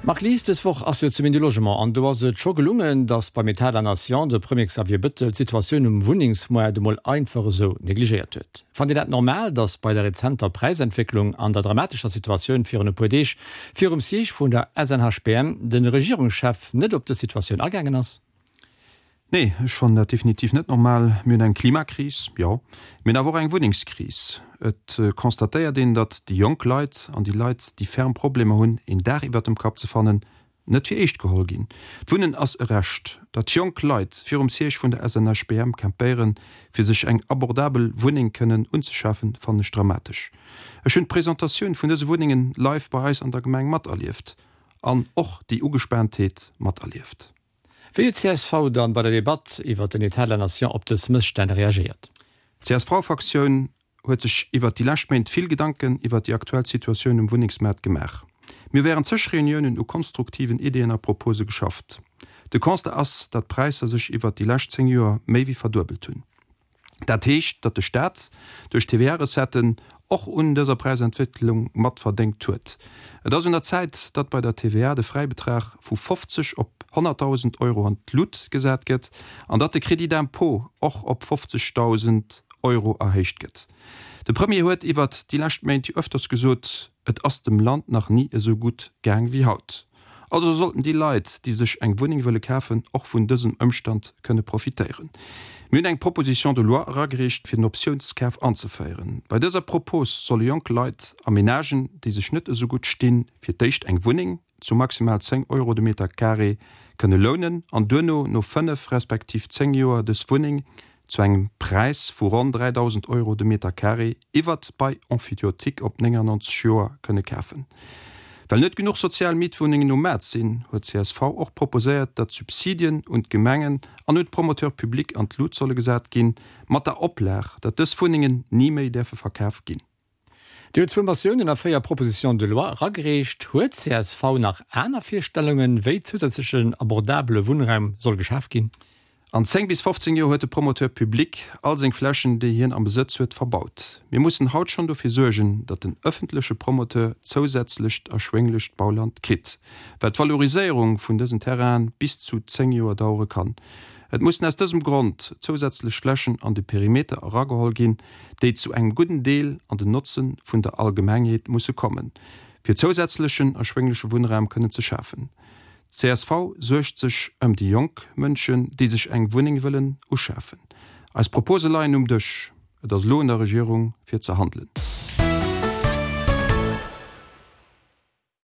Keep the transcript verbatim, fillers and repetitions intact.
Marc Lies, Dës Woch ass jo d'Semaine du Logement an do ass et scho gelungen, datt beim État de la Nation de Premier Xavier Bettel d'Situatioun um Wunnengsmoart emol einfach esou negligéiert huet. Fannt Dir dat normal, datt bei der rezenter Präisentwécklung an der dramatescher Situatioun virun e puer Deeg virum Siège vun der S N H B M de Regierungschef net op dës Situatioun agaangen ass? Nee, ech fannen dat definitiv net normal. Mir hunn eng Klimakris, jo, mir hunn awer och eng Wunnengskris. Et constatéiert een, datt déi jonk Leit an déi Leit, déi ferm Problemer hunn, een Daach iwwert dem Kapp ze fannen, net fir eescht geholl ginn. D'Wunnen ass e Recht. Datt jonk Leit virum Siège vun der S N H B M campéieren, fir sech eng abordabel Wunneng kënnen unzeschafen, fannen ech dramatesch. Ech hunn d'Presentatioun vun dëse Wunnengen live bei eis an der Gemeng materlieft an och déi Ugespaantheet materlieft. Wéi huet d'C S V dann bei der Debatt iwwer den État de la Nation op dës Mësstänn reagéiert? D'C S V-Fraktioun huet sech iwwert déi lescht Méint vill Gedanken iwwert déi aktuell Situatioun um Wunnengsmaart gemaach. Mir hu während zeg Reuniounen u konstruktiven Ideeën a Propose geschafft. De Constat ass, datt d'Präisser sech iwwert déi lescht zéng Joer méi wéi verduebelt hunn. Dat heescht, datt de Staat duerch d'T V A-Recetten och un dëser Präisentwécklung mat verdéngt huet. Et ass un der Zäit, datt bei der T V A de Fräibetrag vu fofzeg op honnertdausend Euro an d'Lut gesat gëtt an datt de Crédit d'impôt och op fofzegdausend Euro erhéicht gëtt. De Premier huet iwwert déi lescht Méint jo ëfters gesot, Et ass dem Land nach ni esou gutt gaang wéi haut. Also sollten déi Leit, déi sech eng Wunneng wëlle kafen, och vun dësem Ëmstand kënne profitéieren. Mir hunn eng Proposition de loi eragereecht, fir den Optiounskaf anzeféieren. Bei dëser Propos solle jonk Leit a Menagen, déi sech net esou gutt stinn, fir d'éischt eng Wunneng zu maximal zéng Euro de Meter carré kënne lounen an duerno no fënnef respektiv zéng Joer dës Wunneng zu engem Präis vu ronn dräidausend Euro de Meter carré iwwert d'Bail emphytéotique op néngannonzeg Joer kënne kafen. Well net genuch sozial Mietwunnengen um Maart sinn, huet C S V och proposéiert, datt d'Subsidien un d'Gemengen an un d'Promoteurs publics an d'Lut solle gesat ginn, mat der Oplag, datt dës Wunnengen ni méi däerfe verkaf ginn. Dir hutt zwou Motiounen a véier Propositions de loi eragereecht. Huet C S V nach aner Virstellungen, wéi zousätzlechen abordabele Wunnraum soll geschaf ginn? An zéng bis fofzéng Joer huet de Promoteur public all seng Flächen, déi hien am Besëtz huet, verbaut. Mir mussen haut schonn dofir suergen, datt den ëffentleche Promoteur zousätzlecht erschwénglecht Bauland kritt, well d'Valoriséierung vun dësen Terrainen bis zu zéng Joer dauere kann. Et mussen aus dësem Grond zousätzlech Flächen an de Perimeter erageholl ginn, déi zu engem gudden Deel an den Notze vun der Allgemengheet musse kommen, fir zousätzlechen erschwéngleche Wunnraum kënnen ze schafen. C S V suergt sech ëm déi jonk Mënschen, déi sech eng Wunneng wëllen uschafen. Eis Propose leien um Dësch. Et ass elo un der Regierung fir ze handelen.